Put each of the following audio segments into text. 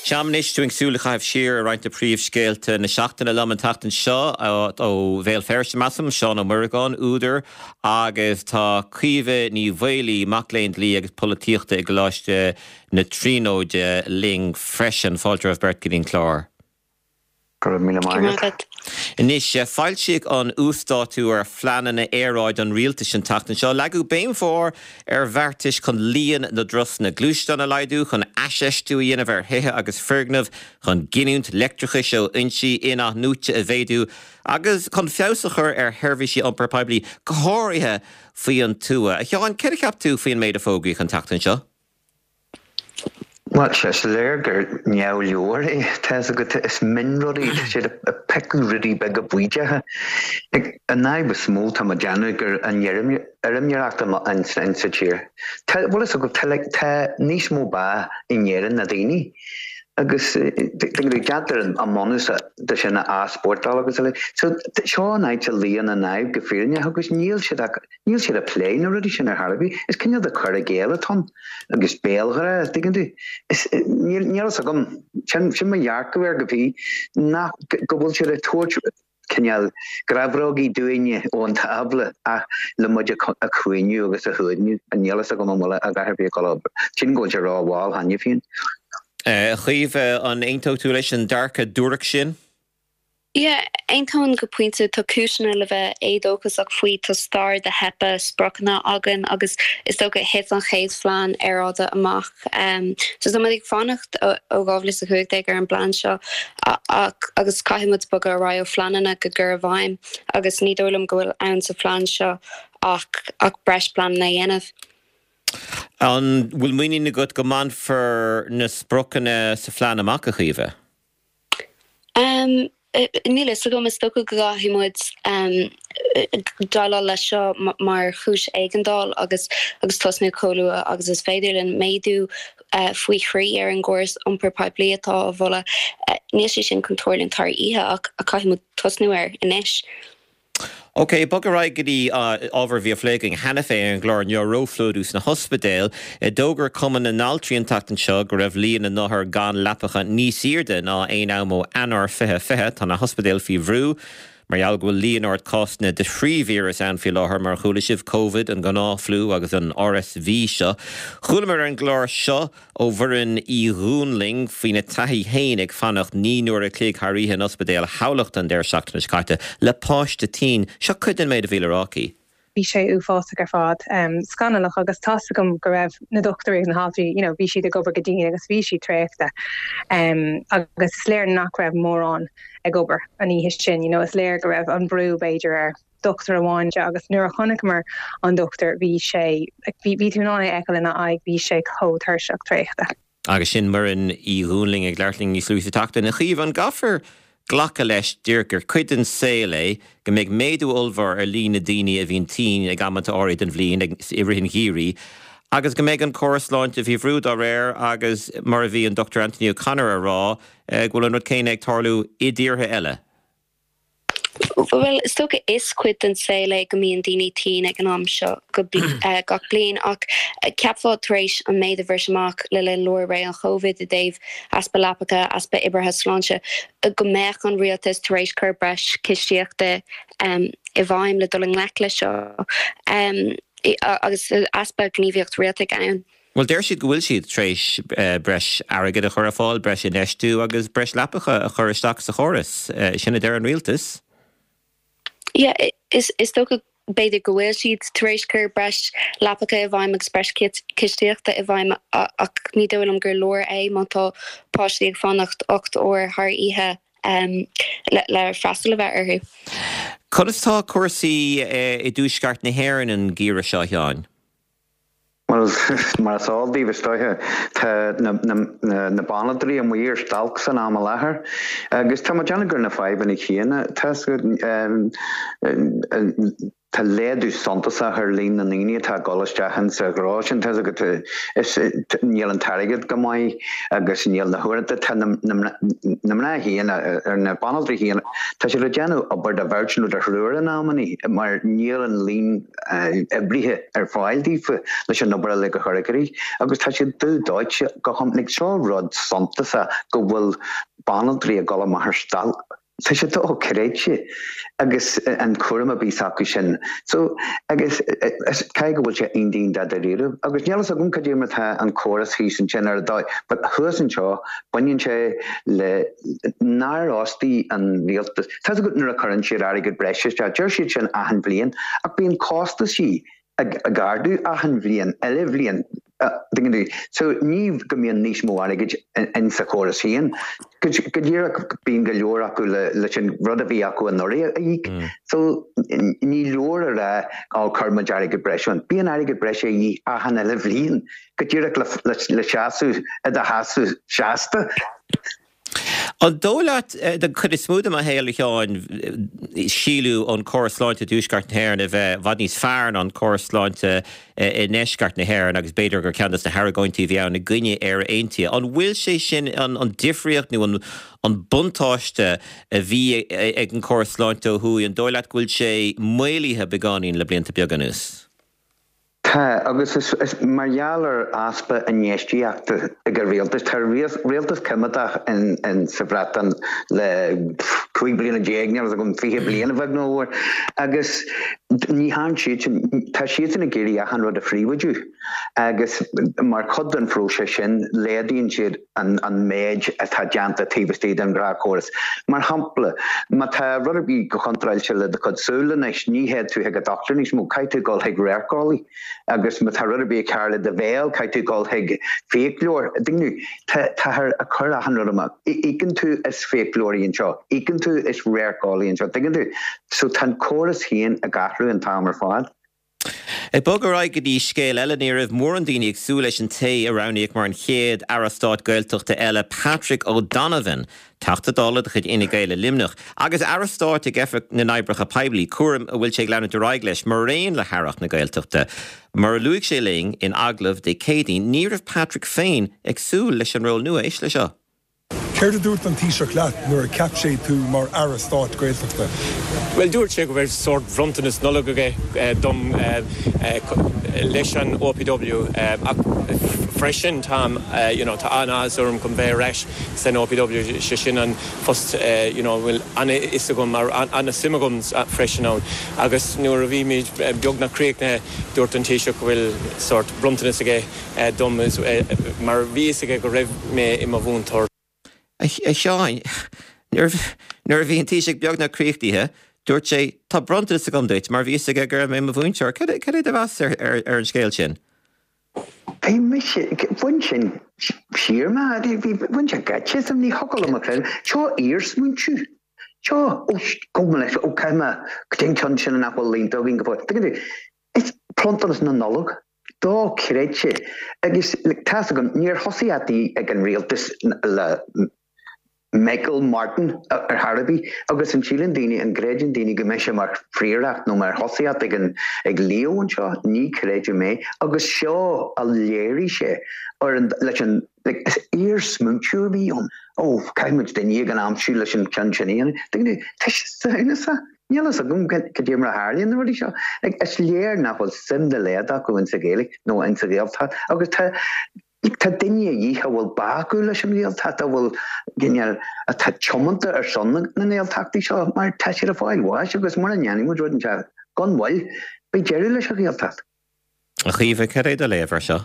Sea, anois táim ag súil le caitheamh siar ar roinnt de phríomhscéalta na seachtaine liom an tseachtain seo ó Bhéal Feirste, measaim, Seán Ó Muireagáin, údar, agus tá Caoimhe Ní Mhaolaí, mac léinn dlí agus polaitíochta i gColáiste na Tríonóide linn freisin. Fáilte romhaibh beirt go dtí an clár. Go raibh míle maith agat. Anois, foilsíodh an uasdátú ar phleananna aeráide an rialtais an tseachtain seo. Leagadh béim mhór ar bheartais chun líon na dturasanna gluaisteán a laghdú, chun aisfheistiú a dhéanamh ar thithe agus foirgnimh, chun giniúint leictreachais ó fhoinsí in-athnuaite a mhéadú agus chun feabhas a chur ar sheirbhísí iompair poiblí, go háirithe faoi an tuath. A Sheáin, céard a cheap tú faoin méid a fógraíodh an tseachtain seo? Bhuel, is léir gur neamhleor é. Tá fhios agat, is mionrudaí, tá siad ag piocadh rudaí beaga baoideacha. An fhadhb is mó, tá mé ag déanamh, gur an fheirmeoireacht in sa tír. Tá, bhfuil fhios agat, tá like, tá níos mó ba in Éirinn ná daoine. Agus déantar an bunús de sin a easpórtáil agus uilig. So, seo an áit a luíonn an fhadhb go fírinneach agus níl siad ach, Níl siad ag plé na rudaí sin ar chor ar bith. Is cineál de cur i gcéill atá ann agus béalghrá, tuigeann tú. Is, níl, níl fhios agam, sin, sin mo dhearcadh air go fiú, nach, go bhfuil siad ag tabhairt cineál grabhrógaí dúinne ón tábla ach le muid a chaoineadh agus a shuaimhniú. Níl fhios agam an bhfuil a dhath ar bith ag dul a obair. Sílim go bhfuil sé rómhall cheana féin. A Chaoimhe, an aontódh tú leis an dearcadh duairc sin? Yeah, aontaím go pointe. Tá cúiseanna le bheith éadóchasach faoi. Tá stair de theipeadh spriocanna againn agus is dócha thit an chéad phlean aeráide amach. So tá muid ag fanacht ó 2015 ar an bplean seo ach agus caithfidh muid bogadh ar aghaidh ó phleananna go gcur i bhfeidhm agus ní dóigh liom go bhfuil ann sa phlean seo ach ach breis pleananna a dhéanamh. An bhfuil muinín agat go mbainfear na spriocanna sa phlean amach, a Chaoimhe? Níl a fhios agam, is dócha go gcaithfidh muid déileáil leis seo mar chúis éigeandáil agus agus tosnú chomh luath agus is féidir linn. Méadú faoi thrí ar an gcóras iompair poiblí atá á mholadh, níl sé sin chun tarlúint thar oíche ach caithfidh muid tosnú air anois. Ok, bog ar aghaidh go dtí ábhar a bhí á phlé againn cheana féin ar an gclár inniu, róphlódú sna hospidéil. D'fhógair Cumann na nAltraí an tseachtain seo go raibh líon na n-othar gan leapacha níos airde ná aon am ó Eanáir 2020. Tá na hospidéil faoi bhrú mar gheall go bhfuil líon ard cásanna de thrí víreas ann faoi láthair, mar a chuala sibh, Covid, an gnáthfhliú agus an RSV seo. Chualamar ar an gclár seo Ó Mhuireann Uí Dhúnlaing faoina taithí féin ag fanacht 9 n-uair a chloig thar oíche in Ospidéal Thamhlachta an deireadh seachtaine seo caite le páiste tinn. Seo cuid den méid a bhí le rá aici. Bhí sé uafásach ar fad, scannalach agus tá's agam go raibh na dochtúirí agus na haltraí, you know, bhí siad ag obair go dian agus bhí siad traochta agus is léir nach raibh mórán ag obair an oíche sin, you know, is léir go raibh an brú b'fhéidir ar dochtúir amháin agus nuair a chonaiceamar an dochtúir bhí sé, bhí, bhí tú in ann é a fheiceáil ina aghaidh, bhí sé chomh tuirseach traochta. Agus sin Muireann Uí Dhúnlaing ag labhairt linn níos luaithe sa tseachtain. A Chaoimhe, an gcaithfear glacadh leis díreach gur cuid den saol é go mbeidh méadú ollmhór ar líon na ndaoine a bhíonn tinn ag amanta áirithe den bhliain, i rith an gheimhridh, agus go mbeidh an córas sláinte faoi bhrú dá réir agus mar a bhí an Dr Anthony O'Connor a rá go bhfuil an rud céanna ag tarlú i dtíortha eile? Bhuel, is dócha is cuid den saol é go mbíonn daoine tinn ag an am seo gach bliain ach cheapfá tar éis an méid a bhris amach le linn lár ré an Chovid i dtaobh easpa leapacha, easpa oibrithe sláinte, go mbeadh an rialtas tar éis cur breis cistíochta i bhfeidhm le dul i ngleic leis seo agus easpa gníomhaíocht rialtais ann. Bhuel, deir siad go bhfuil siad tar éis breis airgid a chur ar fáil, breis infheistiú agus breis leapacha a chur isteach sa chóras. Sin a deir an rialtas. Yeah, is dócha b'fhéidir go bhfuil siad tar éis cur breis leapacha i bhfeidhm agus breis cistíochta i bhfeidhm ach ní dóigh liom gur leor é má tá páistí ag fanacht 8 uair thar oíche le freastal a bheith orthu. Conas tá cúrsaí i dtuaisceart na hÉireann an geimhreadh seo, a Sheáin? Bhuel, mar is eol daoibh, is dóiche, tá na banaltraí amuigh ar stailc san am i láthair agus tá mé ag déanamh gur na fadhbanna céanna. Tá. Tá laghdú suntasach ar líon na ndaoine atá ag dul isteach insa ghnó sin, tá's agat, is níl an t-airgead go maith agus níl na huaireanta, tá na mná féin, ar na banaltraí féin, tá siad ag déanamh obair do bheirt nó do thriúr in amannaí mar níl an líon oibrithe ar fáil daofa leis an obair uilig a chur i gcrích agus tá siad dubh dóite go hiomlán. Seo rud suntasach go bhfuil banaltraí ag dul amach ar stailc. Tá sé dochreidte agus an cúram a bhí s'acu sin. So, agus caithfidh go bhfuil sé iontach dáiríre. Agus níl fhios agam cad é mar atá an córas thíos ansin ar an dóigh, but thuas anseo baineann sé le nár fhostaigh an rialtas. Tá 'fhios agat nuair a chuireann siad airgead breise isteach, deir siad sin achan bhliain, ach bíonn costaisí ag ardú achan bhliain, uile bhliain. Tuigeann tú? So ní go mbíonn níos mó airgid in sa chóras féin. Go díreach bíonn go leor acu leis an rud a bhí acu anuraidh a íoc. So ní leor a rá ó chuir muid airgead breise ann. Bíonn airgead breise a dhíth achan uile bhliain go díreach le seasamh i do sheasamh seasta. An dóigh leat, den chuid is mó de mo shaol, a Sheáin, síleadh an córas sláinte i dTuaisceart na hÉireann a bheith i bhfad níos fearr ná an córas sláinte i nDeisceart na hÉireann agus b'fhéidir gur ceann de na hargóintí a bhí ann i gcoinne Éire Aontaithe. An bhfuil sé sin, an difríocht nó an buntáiste a bhí ag an córas sláinte ó thuaidh, an dóigh leat go bhfuil sé maolaithe beagáinín le blianta beaga anuas? Tá, agus is mar gheall ar easpa infheistíochta ag an rialtas. Tá rialtas coimeádach in sa Bhreatain le 15 bliana, níl fhios agam, 20 bliain a bheag nó a mhór, agus ní thearn siadsan, tá siadsan ag iarraidh achan rud a phríobháidiú agus mar chuid den phróiseas sin laghdaíonn siad an méid atá déanta taobh istigh den ghnáthchóras. Mar shampla, má tá rud ar bith go contráilte le do chuid súl anois, ní théid tú chuig an dochtúir níos mó, caithfidh tú dul chuig radharceolaí. Agus má tá rud ar bith cearr le do bhéal, caithfidh tú dul chuig fiaclóir. Táthar ag cur achan rud amach. Íocann tú as fiaclóirí anseo, íocann tú as radharceolaí anseo, tuigeann tú? So tá an córas féin ag athrú an t-am ar fad. Ag bogadh ar aghaidh go dtí scéal eile, ní raibh mórán daoine ag súil leis an té a roghnaíodh mar an chéad Aire Stáit Gaeltachta eile, Patrick O'Donovan, Teachta Dála de chuid Fhine Gael i Luimneach, agus Aire Stáit ag Oifig na nOibreacha Poiblí, cúram a bhfuil sé ag leanúint ar aghaidh leis maraon le hAireacht na Gaeltachta. Mar a luaigh sé linn in agallamh Dé Céadaoin, ní raibh Patrick féin ag súil leis an ról nua. Éist leis seo. Céard a dúirt an Taoiseach leat nuair a cheap sé tú mar Aire Stáit Gaeltachta? Bhuel, dúirt sé go raibh sórt bhronntanas Nollag aige dom leis an OPW ach freisin táim, you know, tá an-áthas orm chun bheith ar ais san OPW, sé sin an post, you know, a bhfuil an-fhios agam, an-suim agam freisin ann. Agus nuair a bhí muid beagnach críochnaithe, dúirt an Taoiseach go bhfuil sórt bronntanas aige dom mar bhí fhios aige go raibh mé i mo mhúinteoir. A Sheáin, nuair a bhí an Taoiseach beagnach críochnaithe, dúirt sé, 'Tá bronntanas agam duit' mar bhí fhios aige go raibh mé i mo mhúinteoir. Cad é do mheas ar an scéal sin? Bhí mise, bhain sin siar mé, bhain sé geit asam, ní thiocfadh liom a chreidiúint. Seo iarsmaointiú. Seo, ó, gabh mo leithscéal, ó, caithfidh mé, cad é an ceann sin nach bhfuil líonta againn go fóill. Tuigeann tú, is bronntanas na Nollag. Dochreidte. Agus tá's agam, níor thosaíocht ag an rialtas le Michael Martin ar chor ar bith agus an síleann daoine, an gcreideann daoine go mbeidh sé mar phríoracht nó mar thosaíocht ag an, ag Leo anseo? Ní chreidim é. Agus seo a léirigh sé ar an, leis an, like, is iarsmaointiú a bhí ann. Ó, caithfidh muid duine éigin a aimsiú leis an ceann sin a dhéanamh. Tuigeann tú, tá sé samhnasach. Níl fhios agam cad é mar a tharlaíonn na rudaí seo. Is léir nach bhfuil suim dá laghad acu insa Ghaeilge nó insa Ghaeltacht agus tá tá daoine a dhíth a bhfuil bá acu leis an Ghaeltacht, a bhfuil cineál, atá tiomanta ar son na nGaeltachtaí seo mar tá siad ag fáil bháis agus mura ndéanfaidh muid rud inteacht gan mhoill, beidh deireadh leis an Ghaeltacht. A Chaoimhe, cad é do léamh ar seo?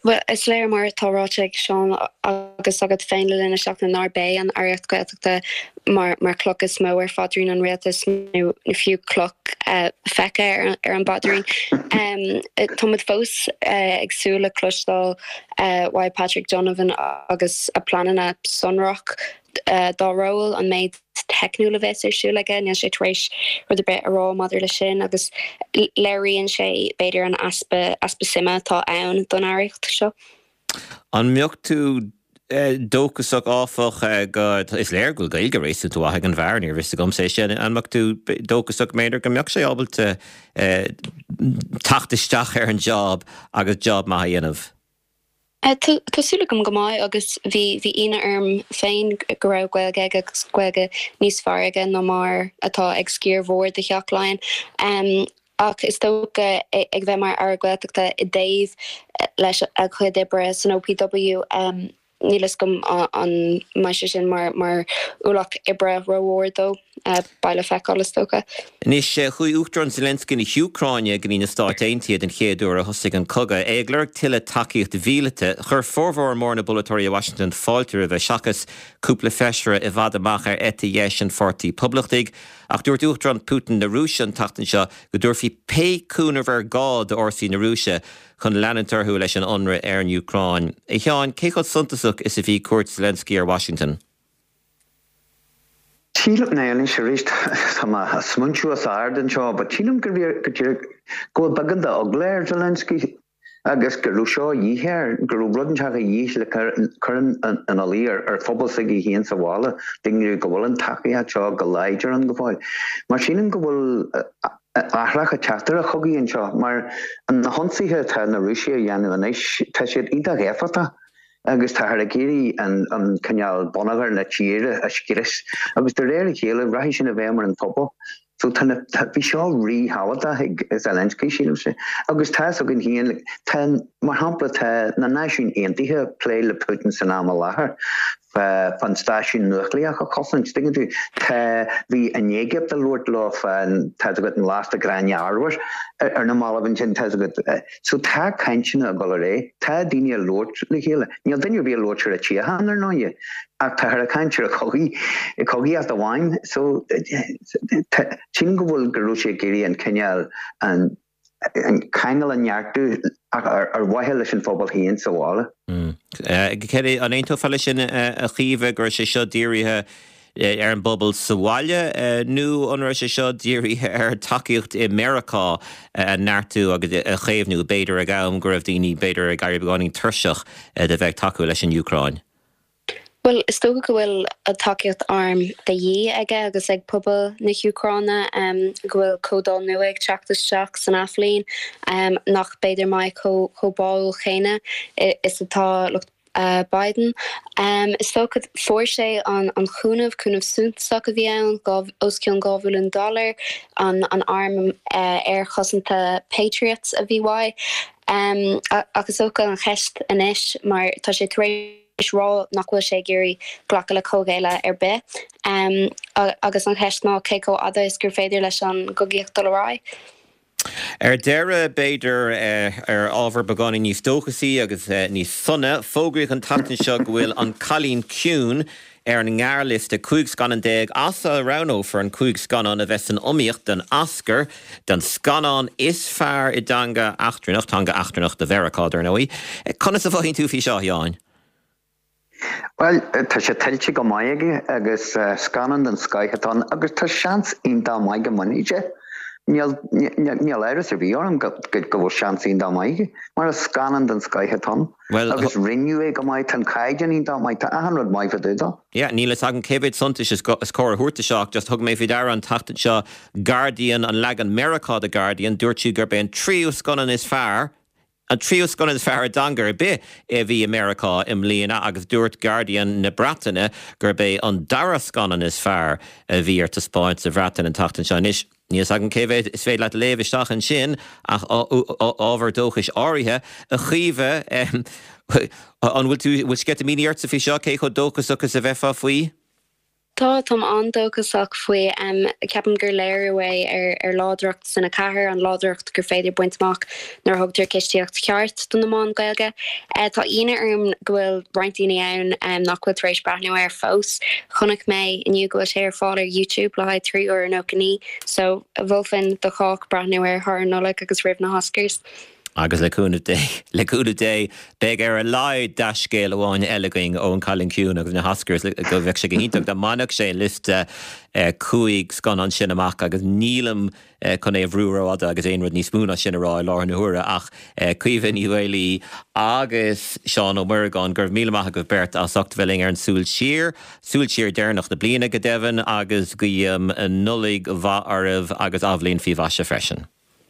Bhuel, is léir mar atá ráite ag Seán agus agat féin le linn na seachtaine nár b'é an Aireacht Gaeltachta mar mar chloch is mó ar phaidrín an rialtais nó fiú cloch feicthe ar an bpaidrín. Tá muid fós ag súil le cloisteáil uaidh Patrick Donovan agus a pleananna sonrach dá ról, an méid teicniúil a bheas ar siúl aige. Níl sé tar éis rud ar bith a rá maidir leis sin agus léiríonn sé, b'fhéidir, an easpa, easpa suime atá ann don aireacht seo. An mbeadh tú. dóchasach, áfach, go, is léir go bhfuil Gaeilge réasúnta mhaith ag an bhfear, níorbh fhios agamsa é sin. An mbeadh tú dóchasach, b'fhéidir, go mbeadh sé ábalta teacht isteach ar an job agus job maith a dhéanamh? Tá súil agam go mbeidh agus bhí bhí ionadh orm féin go raibh Gaeilge aige agus Gaeilge níos fearr aige ná mar atá ag sciar mhór de Theach Laighean. Ach is dócha ag bheith mar Aire Gaeltachta i dtaobh leis a chuid oibre san OPW, níl fhios agam an mbeidh sé sin mar mar ualach oibre rómhór dó. Beidh le feiceáil, is dócha. Anois, chuaigh Uachtarán Zelensky na hÚcráine go dtí na Stáit Aontaithe den chéad uair ó thosaigh an cogadh, é ag lorg tuilleadh tacaíocht mhíleata. Chuir formhór mór na bpolaiteoirí i Washington fáilte roimhe, seachas cúpla feisire i bhfad amach ar eite dheis an Pháirtí Poblachtaigh. Ach dúirt Uachtarán Putin na Rúise an tseachtain seo go dtabharfaí pé cúnamh ar gá d'fhórsaí na Rúise chun leanúint orthu leis an ionradh ar an Úcráin. A Sheáin, cé chomh suntasach is a bhí cuairt Zelensky ar Washington? Sílim, now anois arís tá mé ag smaointiú os ard anseo, but sílim go go díreach go bhfuil beagán d'eagla ar Zelensky agus go raibh seo a dhíth air, go raibh rud inteacht a dhíth le cur ina luí ar ar phobal s'aige féin sa bhaile, daoine go bhfuil an tacaíocht seo go láidir ann go fóill. Mar sílim go bhfuil athrach ag teacht ar an chogaidh anseo, mar na hionsaithe atá na Rúisigh a dhéanamh anois, tá siad iontach éifeachtach. agus táthar ag iarraidh an cineál bonneagar na tíre a scrios agus de réir a chéile rachaidh sin i bhfeidhm ar an phobal. So tá na, bhí seo ríthábhachtach ag Zelensky, sílimse. Agus tá fhios againn féin, tá, mar shampla, tá na Náisiúin Aontaithe ag plé le Putin san am i láthair fán stáisiún núicléach a chosaint, tuigeann tú. Tá, bhí an Éigipt ag labhairt leo fán, tá fhios agat, an lasta gráinne arbhair ar na mallaibh ansin, tá fhios agat. So tá cainteanna ag dul ar aghaidh, tá daoine ag labhairt le chéile. Níl duine ar bith ag labhairt ar an tsíocháin, ar ndóighe, ach táthar ag caint ar an chogaidh, cogaíocht amháin. So sílim go bhfuil, go raibh sé ag iarraidh an cineál, an ceangal a neartú ach ar mhaithe leis an phobal féin sa bhaile. An aontófá leis sin, a Chaoimhe, go raibh sé seo dírithe ar an bpobal sa bhaile nó an raibh sé seo dírithe ar tacaíocht i Meiriceá a neartú agus a chaomhnú, b'fhéidir ag am go raibh daoine b'fhéidir ag éirí beagáinín tuirseach de bheith ag tacú leis an Úcráin? Bhuel, is dócha go bhfuil tacaíocht airm de dhíth aige agus ag pobal na hÚcráine, go bhfuil comhdháil nua ag teacht isteach san athbhliain nach b'fhéidir mbeidh chomh báúil chéanna is atá lucht Biden. Is dócha, fuair sé an cúnamh, cúnamh suntasach a bhí ann, os cionn 2 bhilliún dollar, an arm aerchosanta Patriots a bhí uaidh. Ach is dócha an cheist anois, mar tá sé tar éis rá nach bhfuil sé ag iarraidh glacadh le comhghéilleadh ar bith, agus an cheist ná cé chomh fhada is gur féidir leis an gcogaíocht dul ar aghaidh. Ar deireadh, b'fhéidir, ar ábhar beagáinín níos dóchasaí agus níos sona, fógraíodh an tseachtain seo go bhfuil An Cailín Ciúin ar an ngearrliosta 15 scannán as a roghnófar an 5 scannán a bheas san iomaíocht don Oscar don scannán is fearr i dteanga eachtrannach, teanga eachtrannach do Mheiriceá, dar ndóigh. Conas a mhothaíonn tú faoi seo, a Sheáin? Bhuel, tá sé tuillte go maith aige agus scannán den scoith atá ann agus tá seans iontach maith go mbainfidh sé. Níl, níl amhras ar bith orm go, go bhfuil seans iontach maith aige mar is scannán den scoith atá ann agus rinneadh é go maith, tá an caighdeán iontach maith, tá achan rud maith fá dtaobh dó. Yeah, níl fhios agam cé mhéad suntais is is cóir a thabhairt do seo ach just thug mé faoi deara an tseachtain seo Guardian, an leagan Meiriceá de Guardian, dúirt siad gurb é an tríú scannán is fearr an tríú scannán is fearr i dteanga ar bith a bhí i Meiriceá i mbliana agus dúirt Guardian na Breataine gurb é an dara scannán is fearr a bhí ar taispeáint sa Bhreatain an tseachtain seo. Anois, níl 's agam cé mhéad is féidir leat a léamh isteach ansin ach ábhar dóchais áirithe. A Chaoimhe, an bhfuil tú, bhfuil sceitimíní ortsa faoi seo? Cé chomh dóchasach is a bheifeá faoi? Tá, táim an-dóchasach faoi. Ceapaim gur léiriú é ar láidreacht Cine 4, an láidreacht gur féidir baint amach nuair a thugtar cistíocht cheart do na meáin Ghaeilge. Tá ionadh orm go bhfuil roinnt daoine ann nach bhfuil tar éis breathnú air fós. Chonaic mé inniu go bhfuil sé ar fáil ar YouTube le haghaidh 3 uair 99, so mholfainn do chách breathnú air thar an Nollaig agus roimh na hOscars. Agus le cúnamh Dé, le cúnamh Dé, beidh ar a laghad dea-scéal amháin eile againn ón Cailín Ciúin agus na hOscars, go bheadh sé go hiontach dá mbainfeadh sé an liosta 15 scannán sin amach agus nílim chun é a bhrú rófhada agus aon rud níos mó ná sin a rá i láthair na huaire ach Caoimhe Ní Mhaolaí agus Seán Ó Muireagáin, go raibh míle maith agaibh beirt as ucht a bheith linn ar an Súil Siar, Súil Siar deireanach na bliana go deimhin agus guím Nollaig mhaith oraibh agus athbhliain faoi mhaise freisin.